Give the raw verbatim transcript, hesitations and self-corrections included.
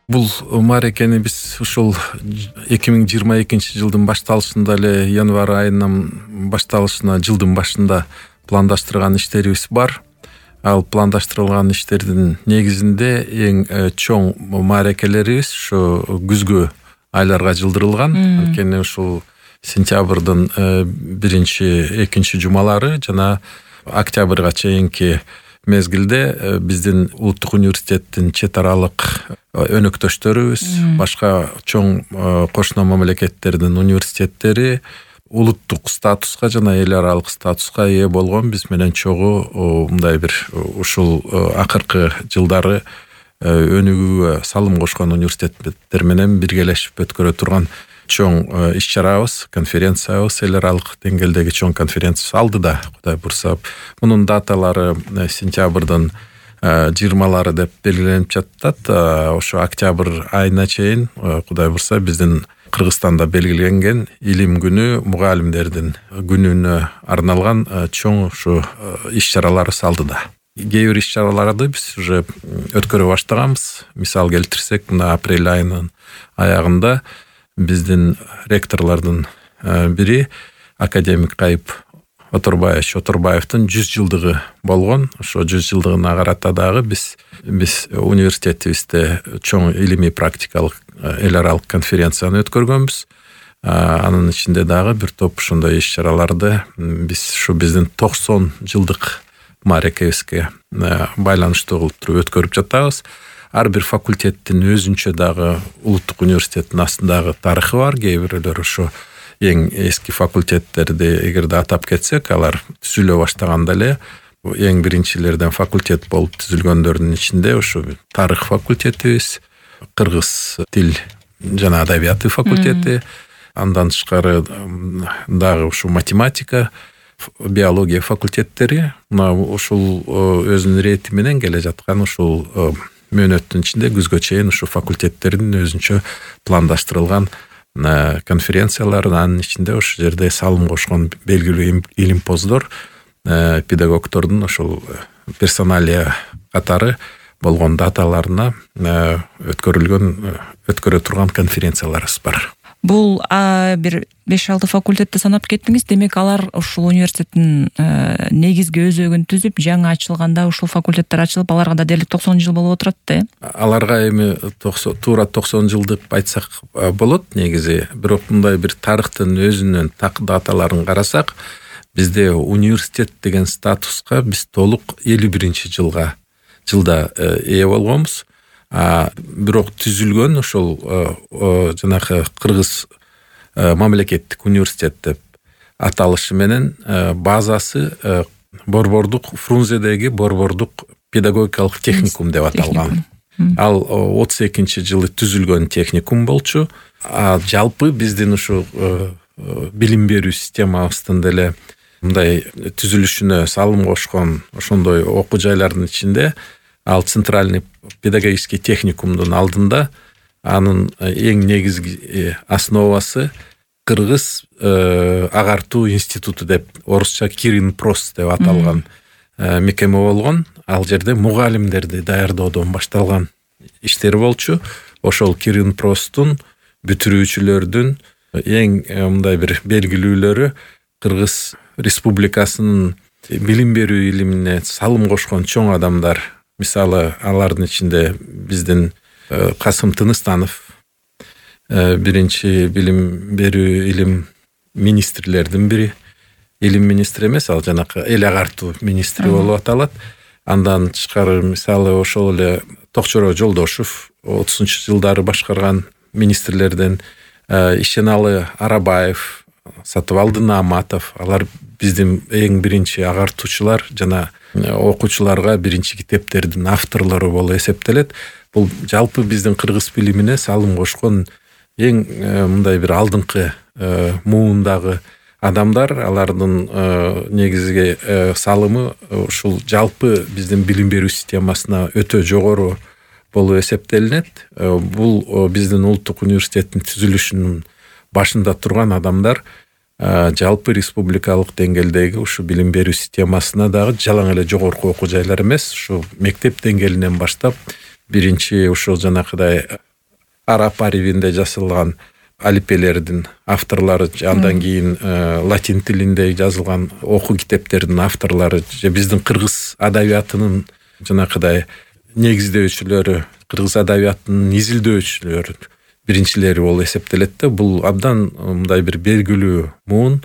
Бул мааракени биз ушул эки миң жыйырма экинчи жылдын башталышында эле январь айынан башталышына жылдын башында пландаштырган иштерибиз бар. Ал пландаштырылган иштердин негизинде эң чоң мааракелерибиз ушу күзгү айларга жылдырылган. Анткени ушул сентябрдын биринчи, экинчи жумалары жана октябрга чейинки мезгилде биздин улуттук университеттин чет аралык өнөктөштөрүбүз, башка чоң кошуна мамлекеттердин университеттери улуттук статуска жана эл аралык статуска ээ болгон биз менен чогуу мындай бир ушул акыркы жылдары өнүгүүгө салым кошкон университеттер менен биргелешип өткөрө турган чоң иш-чарабыз, конференциябыз, эл аралык деңгээлдеги чоң конференция алдыда, Кудай бурса. Мунун даталары сентябрдын жыйырмалары деп белгиленип жатат. Ошо октябрь айына чейин Кудай бурса биздин Кыргызстанда белгиленген илим күнү, мугалимдердин күнүнө арналган чоң ушу иш-чаралар алдыда. Кээ бир иш-чараларды биз уже өткөрө баштаганбыз. Мисал келтирсек, мына апрель айынын аягында биздин ректорлордун бири академик Кайып Оторбаевич Оторбаевдин жүз жылдыгы болгон. Ошо жүз жылдыгына карата дагы биз биз университетибизде чоң илимий практикалык эл аралык конференцияны өткөргөнбүз. Анын ичинде дагы бир топ ушундай иш-чараларды биз ушу биздин токсон жылдык мааракебизге байланыштуу кылып туруп өткөрүп жатабыз. Ар бир факультеттин өзүнчө дагы улуттук университеттин астындагы тарыхы бар. Кээ бирөлөр ошо эң эски факультеттерди эгерде атап кетсек, алар түзүлө баштаганда эле эң биринчилерден факультет болуп түзүлгөндөрдүн ичинде ошо тарых факультетибиз, кыргыз тил жана адабияты факультети, андан тышкары дагы ушу математика, биология факультеттери, мына ушул өзүнүн рети менен келе жаткан ушул мөөнөттүн ичинде күзгө чейин ушу факультеттердин өзүнчө пландаштырылган конференциялар, анын ичинде ошол жерде салым кошкон белгилүү илимпоздор, педагогдордун ошол персоналия катары болгон даталарына өткөрүлгөн, өткөрө турган конференцияларыбыз бар. Бул бир беш алты факультетти санап кеттиңиз. Демек алар ушул университеттин негизги өзөгүн түзүп, жаңы ачылганда ушул факультеттер ачылып, аларга да дээрлик токсон жыл болуп отурат да. Аларга эми туура токсон жыл деп айтсак болот негизи. Бирок мындай бир тарыхтын өзүнүн так даталарын карасак, бизде университет деген статуска биз толук элүү биринчи жылга жылда ээ болгонбуз. А бирок түзүлгөн ошол жанагы Кыргыз мамлекеттик университет деп аталышы менен базасы Борбордук Фрунзедеги Борбордук педагогикалык техникум деп аталган. Ал отуз экинчи жылы түзүлгөн техникум болчу. А жалпы биздин ушу билим берүү системабыздын деле мындай түзүлүшүнө салым кошкон ошондой окуу жайлардын ичинде ал центральный педагогический техникумдун алдында анын эң негизги основасы Кыргыз агартуу институту деп, орусча Киринпрос деп аталган мекеме болгон. Ал жерде мугалимдерди даярдоодон башталган иштер болчу. Ошол Киринпростун бүтүрүүчүлөрдүн эң мындай бир белгилүүлөрү Кыргыз Республикасынын билим берүү илимине салым кошкон чоң адамдар. Мисалы, алардын ичинде биздин Касым Тыныстанов, биринчи билим берүү илим министрлердин бири, илим министри эмес, ал жанакы эл агартуу министри болуп аталат. Андан тышкары мисалы ошол эле Токчоро Жолдошев отузунчу жылдары башкарган министрлерден Ишеналы Арабаев, Сатыбалды Нааматов, алар биздин эң биринчи агартуучулар жана окуучуларга биринчи китептердин авторлору болуп эсептелет. Бул жалпы биздин кыргыз билимине салым кошкон эң мындай бир алдыңкы муундагы адамдар. Алардын негизги салымы ушул жалпы биздин билим берүү системасына өтө жогору болуп эсептелинет. Бул биздин улуттук университеттин түзүлүшүнүн башында турган адамдар жалпы республикалык деңгээлдеги ушу билим берүү системасына дагы жалаң эле жогорку окуу жайлар эмес, ушу мектеп деңгээлинен баштап биринчи ушул жанакыдай араб арабинде жазылган алипелердин авторлору, андан кийин латин тилинде жазылган окуу китептердин авторлору же биздин кыргыз адабиятынын жанакыдай негиздөөчүлөрү, кыргыз адабиятынын изилдөөчүлөрү биринчилери болуп эсептелет да. Бул абдан мындай бир белгилүү муун.